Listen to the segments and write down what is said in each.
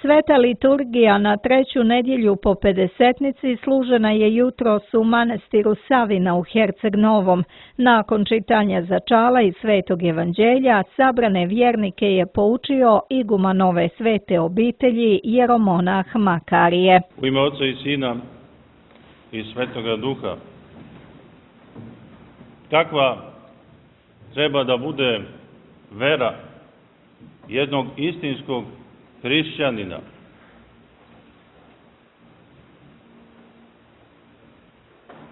Sveta liturgija na treću nedjelju po Pedesetnici služena je jutros u manastiru Savina u Herceg Novom. Nakon čitanja začala i Svetog evanđelja, sabrane vjernike je poučio iguman nove svete obitelji jeromonah Makarije. U ime Oca i Sina i Svetoga Duha. Kakva treba da bude vera jednog istinskog hrišćanina?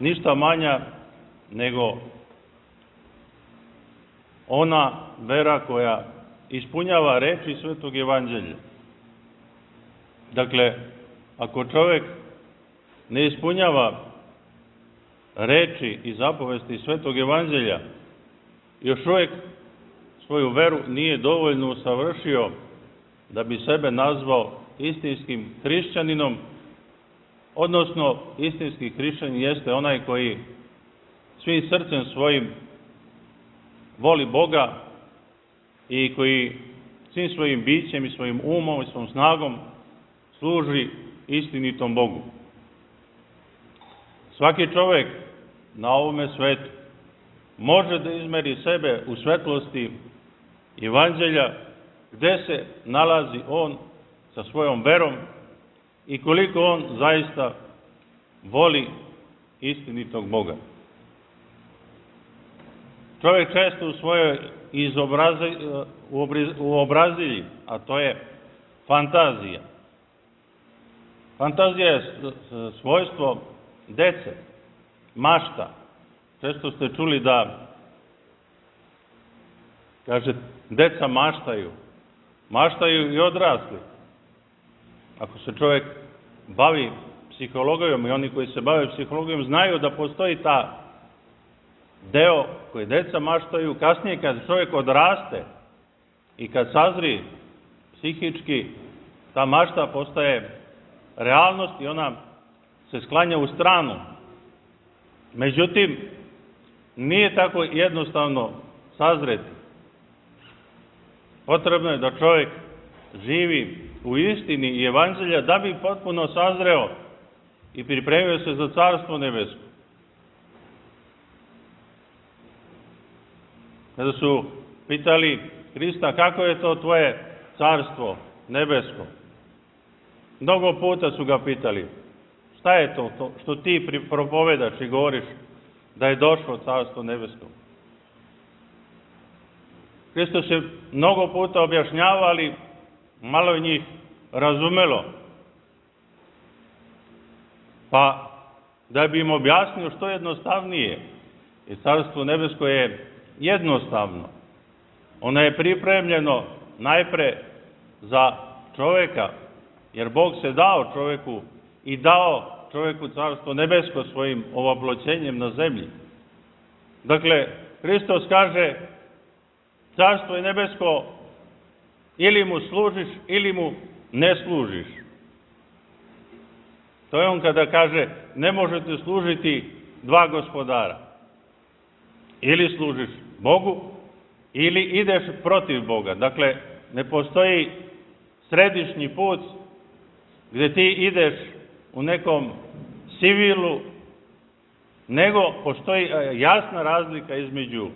Ništa manja nego ona vera koja ispunjava reči Svetog evanđelja. Dakle, ako čovjek ne ispunjava reči i zapovesti Svetog evanđelja, još uvijek svoju veru nije dovoljno usavršio da bi sebe nazvao istinskim hrišćaninom, odnosno istinski hrišćanin jeste onaj koji svim srcem svojim voli Boga i koji svim svojim bićem i svojim umom i svojom snagom služi istinitom Bogu. Svaki čovjek na ovome svetu može da izmeri sebe u svetlosti evanđelja, gde se nalazi on sa svojom verom i koliko on zaista voli istinitog Boga. Čovjek često u svojoj uobrazilji, a to je fantazija. Fantazija je svojstvo dece, mašta. Često ste čuli da, kaže, deca maštaju. Maštaju i odrasli. Ako se čovjek bavi psihologijom i oni koji se bave psihologijom znaju da postoji ta deo koji deca maštaju. Kasnije kad čovjek odraste i kad sazri psihički, ta mašta postaje realnost i ona se sklanja u stranu. Međutim, nije tako jednostavno sazreti. Potrebno je da čovjek živi u istini i evanđelja da bi potpuno sazreo i pripremio se za Carstvo nebesko. Kada su pitali Hrista kako je to tvoje Carstvo nebesko, mnogo puta su ga pitali šta je to što ti propovedaš i govoriš da je došlo Carstvo nebesko. Hristos je mnogo puta objašnjavao, ali malo je njih razumelo. Pa da bi im objasnio što jednostavnije, jer Carstvo nebesko je jednostavno. Ono je pripremljeno najpre za čovjeka, jer Bog se dao čovjeku i dao čovjeku Carstvo nebesko svojim ovoploćenjem na zemlji. Dakle, Hristos kaže, Carstvo je nebesko, ili mu služiš, ili mu ne služiš. To je on kada kaže, ne možete služiti dva gospodara. Ili služiš Bogu, ili ideš protiv Boga. Dakle, ne postoji središnji put gdje ti ideš u nekom sivilu, nego postoji jasna razlika između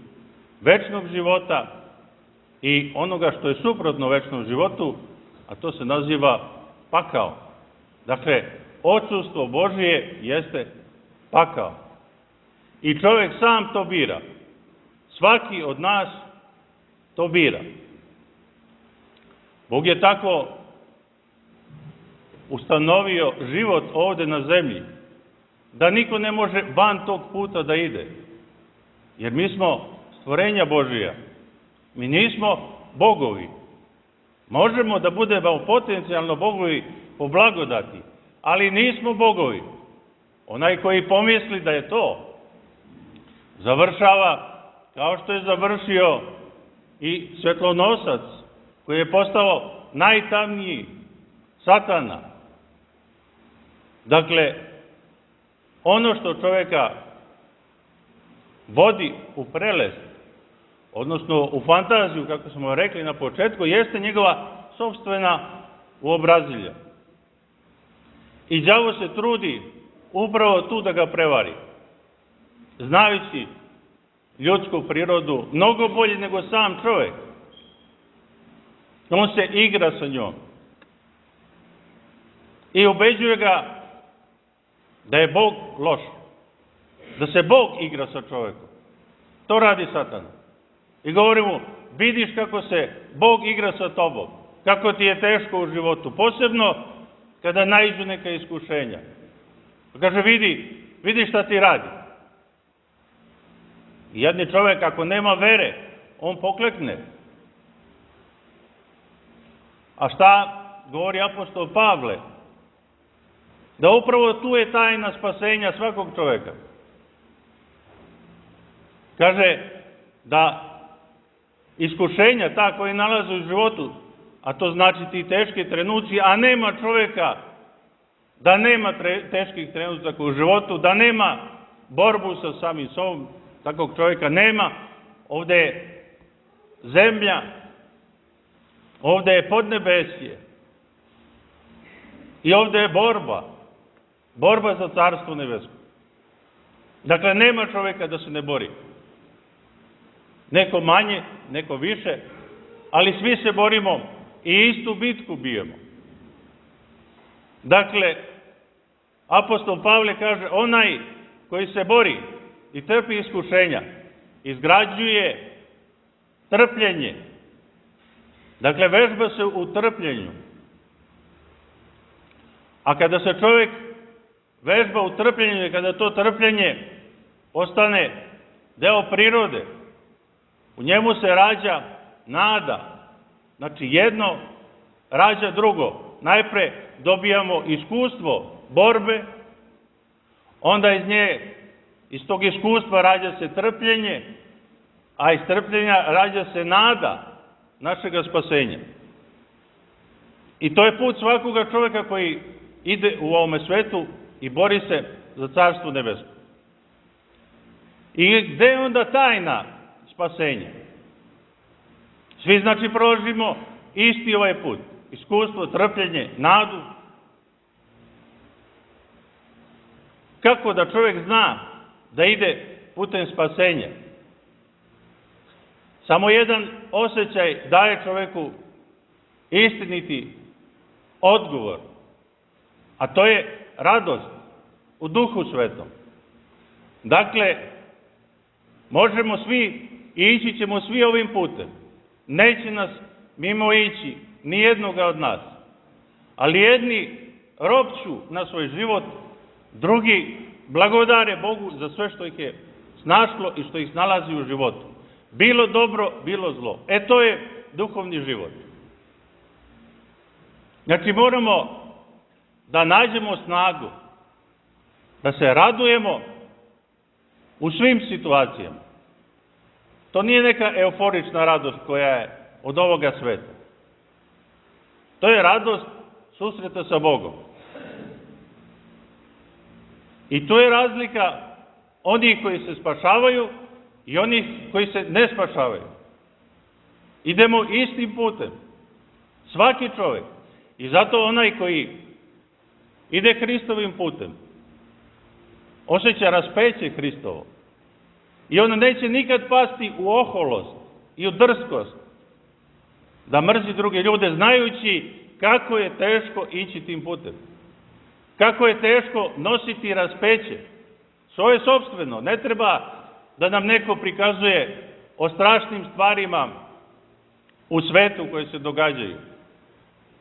večnog života i onoga što je suprotno večnom životu, a to se naziva pakao. Dakle, odsustvo Božije jeste pakao. I čovjek sam to bira. Svaki od nas to bira. Bog je tako ustanovio život ovdje na zemlji, da niko ne može van tog puta da ide. Jer mi smo stvorenja Božija. Mi nismo bogovi. Možemo da budemo potencijalno bogovi po blagodati, ali nismo bogovi. Onaj koji pomisli da je to, završava kao što je završio i svjetlonosac, koji je postao najtamniji, Satana. Dakle, ono što čovjeka vodi u prelest, odnosno u fantaziju, kako smo rekli na početku, jeste njegova sopstvena u obrazilja. I đavo se trudi upravo tu da ga prevari, znajući ljudsku prirodu mnogo bolje nego sam čovjek. On se igra sa njom i ubeđuje ga da je Bog loš, da se Bog igra sa čovjekom. To radi Satan. I govori mu, vidiš kako se Bog igra sa tobom, kako ti je teško u životu, posebno kada naiđu neka iskušenja. Kaže, vidi šta ti radi. I jedni čovjek, ako nema vere, on poklekne. A šta govori apostol Pavle? Da upravo tu je tajna spasenja svakog čovjeka. Kaže da iskušenja ta koji nalaze u životu, a to znači ti teški trenuci, a nema čovjeka da nema teških trenutaka u životu, da nema borbu sa samim sobom, takvog čovjeka nema. Ovdje je zemlja, ovdje je podnebesje i ovdje je borba za carstvo nebesko. Dakle, nema čovjeka da se ne bori. Neko manje, neko više, ali svi se borimo i istu bitku bijemo. Dakle, apostol Pavle kaže, onaj koji se bori i trpi iskušenja, izgrađuje trpljenje. Dakle, vežba se u trpljenju. A kada se čovjek vežba u trpljenju i kada to trpljenje postane deo prirode, u njemu se rađa nada. Znači, jedno rađa drugo. Najpre dobijamo iskustvo borbe, onda iz tog iskustva rađa se trpljenje, a iz trpljenja rađa se nada našega spasenja. I to je put svakoga čovjeka koji ide u ovome svetu i bori se za carstvo nebesko. I gde je onda tajna spasenja? Svi znači prolazimo isti ovaj put. Iskustvo, trpljenje, nadu. Kako da čovjek zna da ide putem spasenja? Samo jedan osjećaj daje čovjeku istiniti odgovor, a to je radost u Duhu Svetom. Dakle, možemo svi i ići ćemo svi ovim putem. Neće nas mimo ići ni jednoga od nas. Ali jedni ropću na svoj život, drugi blagodare Bogu za sve što ih je snašlo i što ih nalazi u životu. Bilo dobro, bilo zlo. To je duhovni život. Znači moramo da nađemo snagu, da se radujemo u svim situacijama. To nije neka euforična radost koja je od ovoga sveta. To je radost susreta sa Bogom. I to je razlika onih koji se spašavaju i onih koji se ne spašavaju. Idemo istim putem. Svaki čovjek. I zato onaj koji ide Hristovim putem osjeća raspeće Hristovo. I on neće nikad pasti u oholost i u drskost da mrzi druge ljude, znajući kako je teško ići tim putem. Kako je teško nositi raspeće. Svoje sopstveno. Ne treba da nam neko prikazuje o strašnim stvarima u svetu koje se događaju.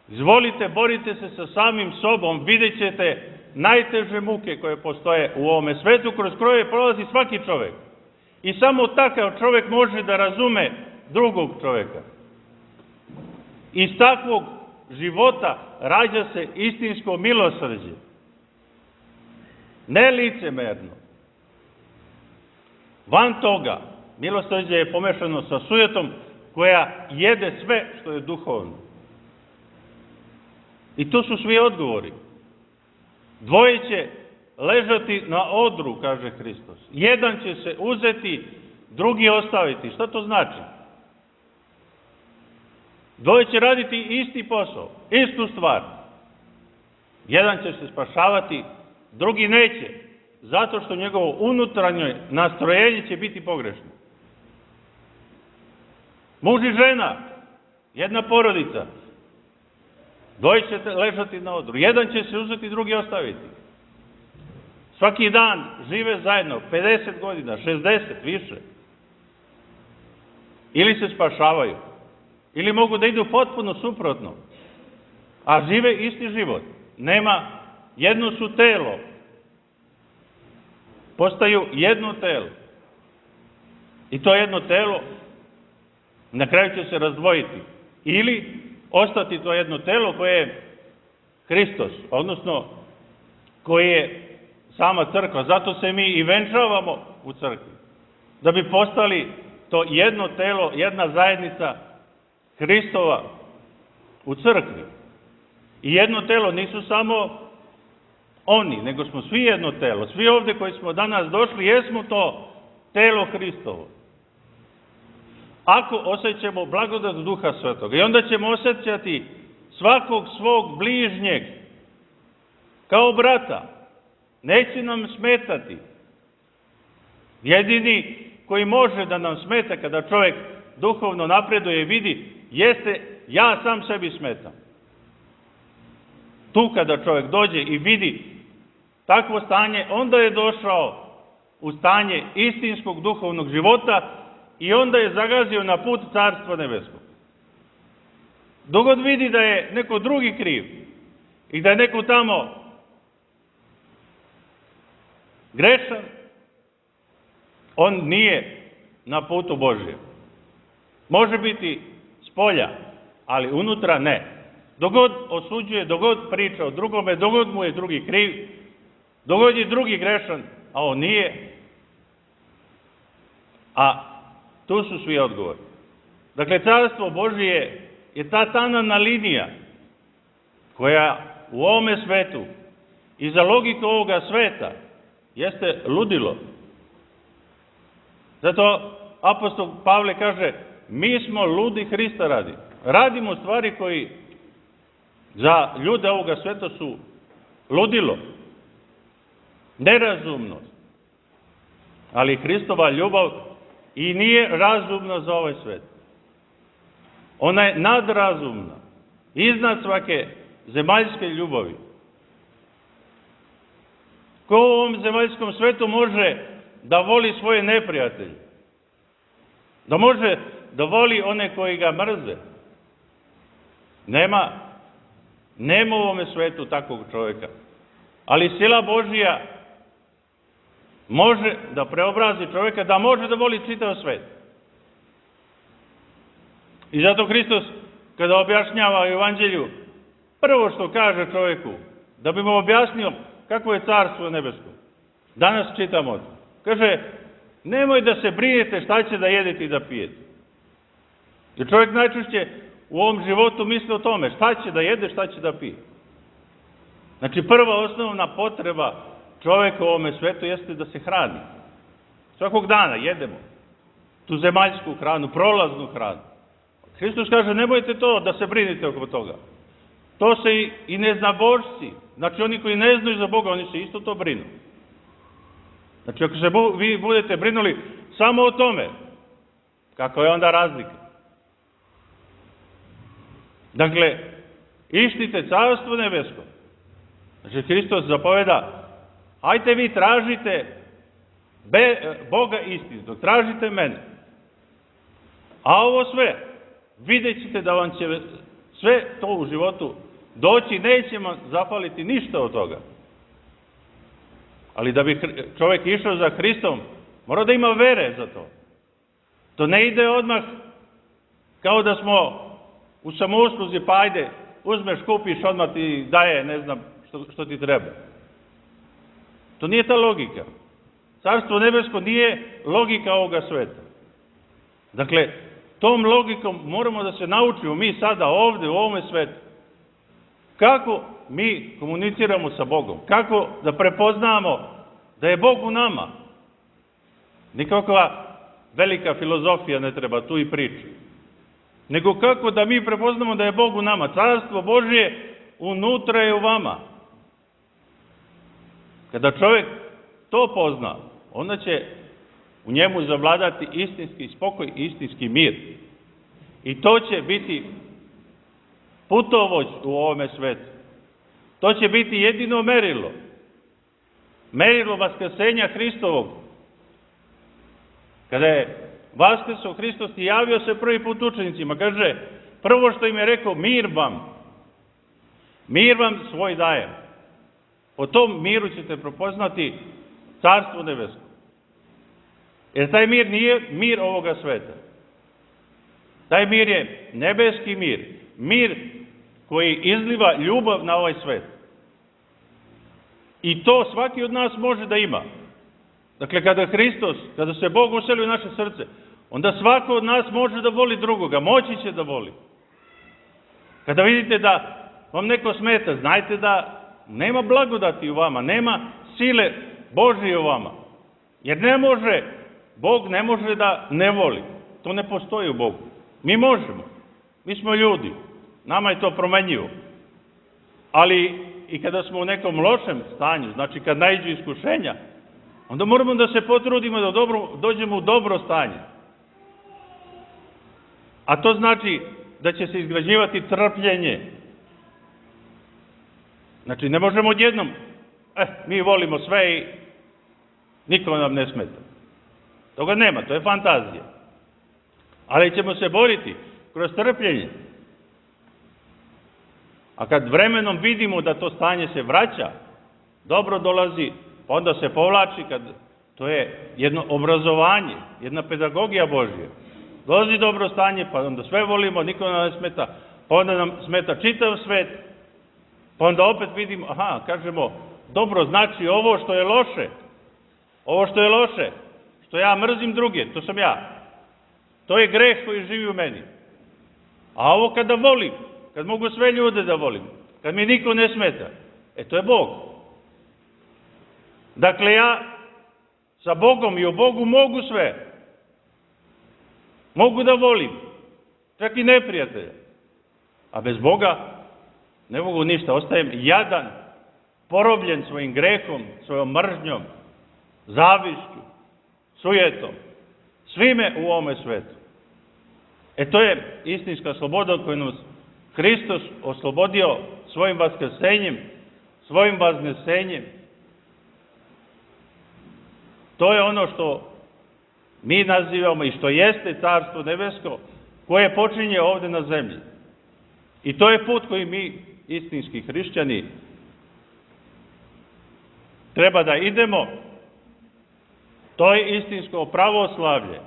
Izvolite, borite se sa samim sobom, vidjet ćete najteže muke koje postoje u ovome svetu, kroz koje prolazi svaki čovjek. I samo takav čovjek može da razume drugog čovjeka. Iz takvog života rađa se istinsko milosrđe. Ne licemerno. Van toga, milosrđe je pomešano sa sujetom koja jede sve što je duhovno. I to su svi odgovori. Dvoje će ležati na odru, kaže Hristos. Jedan će se uzeti, drugi ostaviti. Šta to znači? Dvoje će raditi isti posao, istu stvar. Jedan će se spašavati, drugi neće, zato što njegovo unutarnje nastrojenje će biti pogrešno. Muž i žena, jedna porodica, dvoje će ležati na odru, jedan će se uzeti, drugi ostaviti. Svaki dan žive zajedno, 50 godina, 60, više. Ili se spašavaju, ili mogu da idu potpuno suprotno, a žive isti život. Nema, jedno su telo, postaju jedno telo. I to jedno telo na kraju će se razdvojiti. Ili ostati to jedno telo koje je Hristos, odnosno koje je sama crkva. Zato se mi i venčavamo u crkvi. Da bi postali to jedno telo, jedna zajednica Hristova u crkvi. I jedno telo nisu samo oni, nego smo svi jedno telo. Svi ovdje koji smo danas došli, jesmo to telo Hristovo. Ako osjećamo blagodat Duha Svetoga, i onda ćemo osjećati svakog svog bližnjeg kao brata. Neće nam smetati. Jedini koji može da nam smeta kada čovjek duhovno napreduje i vidi, jeste ja sam sebi smetam. Tu kada čovjek dođe i vidi takvo stanje, onda je došao u stanje istinskog duhovnog života i onda je zagazio na put Carstva nebeskog. Dok god vidi da je neko drugi kriv i da je neko tamo grešan, on nije na putu Božjem. Može biti spolja, ali unutra ne. Dok god osuđuje, dok god priča o drugome, dok god mu je drugi kriv, dok god je drugi grešan, a on nije, a tu su svi odgovori. Dakle, Carstvo Božije je ta tanana linija koja u ovome svetu i za logiku ovoga sveta jeste ludilo. Zato apostol Pavle kaže, mi smo ludi Hrista radi. Radimo stvari koji za ljude ovoga sveta su ludilo, nerazumnost. Ali Hristova ljubav i nije razumna za ovaj svet. Ona je nadrazumna, iznad svake zemaljske ljubavi. Ko u ovom zemaljskom svetu može da voli svoje neprijatelje? Da može da voli one koji ga mrze? Nema u ovome svetu takvog čovjeka. Ali sila Božija može da preobrazi čovjeka, da može da voli čitav svet. I zato Hristos, kada objašnjava Evanđelju, prvo što kaže čovjeku, da bi mu objasnio kako je Carstvo nebesko. Danas čitamo to. Kaže, nemoj da se brinete šta će da jedete i da pijete. Jer čovjek najčešće u ovom životu misli o tome šta će da jede, šta će da pije. Znači, prva osnovna potreba čovjeka u ovome svetu jeste da se hrani. Svakog dana jedemo tu zemaljsku hranu, prolaznu hranu. Hristos kaže, nemojte to da se brinite oko toga. To se i neznabošci, znači oni koji ne znaju za Boga, oni se isto to brinu. Znači, ako se vi budete brinuli samo o tome, kako je onda razlika? Dakle, ištite Carstvo nebesko. Znači, Hristos zapoveda, ajte vi tražite Boga istinitog, tražite mene. A ovo sve, vidjet ćete da vam će sve to u životu doći, neće vam zafaliti ništa od toga. Ali da bi čovjek išao za Hristom, mora da ima vere za to. To ne ide odmah kao da smo u samousluzi, pa ajde, uzmeš, kupiš, odmah ti daje, ne znam što ti treba. To nije ta logika. Carstvo nebesko nije logika ovoga sveta. Dakle, tom logikom moramo da se naučimo mi sada ovdje u ovome svetu. Kako mi komuniciramo sa Bogom? Kako da prepoznamo da je Bog u nama? Nikakva velika filozofija ne treba tu i priči. nego kako da mi prepoznamo da je Bog u nama. Carstvo Božje unutra je u vama. Kada čovjek to pozna, onda će u njemu zavladati istinski spokoj i istinski mir. I to će biti putovođ u ovome svetu. To će biti jedino merilo. Merilo vaskrsenja Hristovog. Kada je vaskrsao Hristos i javio se prvi put učenicima, kaže, prvo što im je rekao, mir vam svoj dajem. Po tom miru ćete prepoznati carstvo nebesko. Jer taj mir nije mir ovoga sveta. Taj mir je nebeski mir. Mir koji izliva ljubav na ovaj svet. I to svaki od nas može da ima. Dakle, kada se Bog useli u naše srce, onda svako od nas može da voli drugoga, moći će da voli. Kada vidite da vam neko smeta, znajte da nema blagodati u vama, nema sile Božje u vama. Jer Bog ne može da ne voli. To ne postoji u Bogu. Mi možemo. Mi smo ljudi. Nama je to promenjivo. Ali i kada smo u nekom lošem stanju, znači kad naiđu iskušenja, onda moramo da se potrudimo da dođemo u dobro stanje. A to znači da će se izgrađivati trpljenje. Znači ne možemo odjednom, mi volimo sve i niko nam ne smeta. Toga nema, to je fantazija. Ali ćemo se boriti kroz trpljenje. A kad vremenom vidimo da to stanje se vraća, dobro dolazi, pa onda se povlači, to je jedno obrazovanje, jedna pedagogija Božja. Dolazi dobro stanje, pa onda sve volimo, niko nam ne smeta, pa onda nam smeta čitav svet, pa onda opet vidimo, kažemo, dobro, znači ovo što je loše, što ja mrzim druge, to sam ja. To je greh koji živi u meni. A ovo kada volim, kad mogu sve ljude da volim, kad mi niko ne smeta, to je Bog. Dakle, ja sa Bogom i u Bogu mogu sve. Mogu da volim, čak i neprijatelja. A bez Boga ne mogu ništa. Ostajem jadan, porobljen svojim grehom, svojom mržnjom, zavišću, sujetom, svime u ovome svetu. To je istinska sloboda koju nas Hristos oslobodio svojim vaskrsenjem, svojim vaznesenjem. To je ono što mi nazivamo i što jeste Carstvo nebesko, koje počinje ovde na zemlji. I to je put koji mi, istinski hrišćani, treba da idemo. To je istinsko pravoslavlje.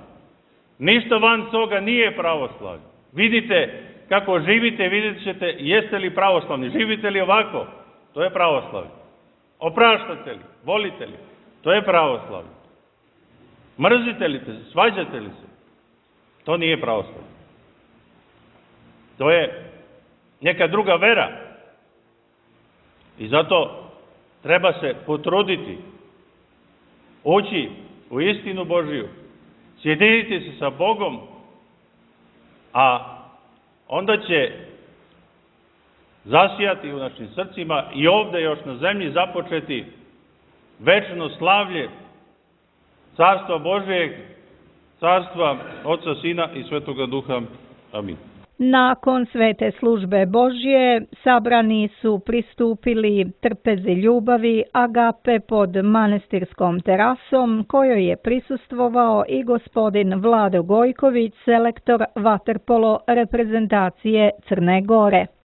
Ništa van toga nije pravoslavlje. Vidite kako živite, vidjet ćete jeste li pravoslavni. Živite li ovako? To je pravoslavlje. Opraštate li? Volite li? To je pravoslavlje. Mrzite li se? Svađate li se? To nije pravoslavlje. To je neka druga vera. I zato treba se potruditi, ući u istinu Božiju, sjediniti se sa Bogom, a onda će zasijati u našim srcima i ovde još na zemlji započeti večno slavlje Carstva Božijeg, Carstva Oca, Sina i Svetoga Duha. Amin. Nakon svete službe Božje sabrani su pristupili trpezi ljubavi Agape pod manastirskom terasom, kojoj je prisustvovao i gospodin Vlado Gojković, selektor vaterpolo reprezentacije Crne Gore.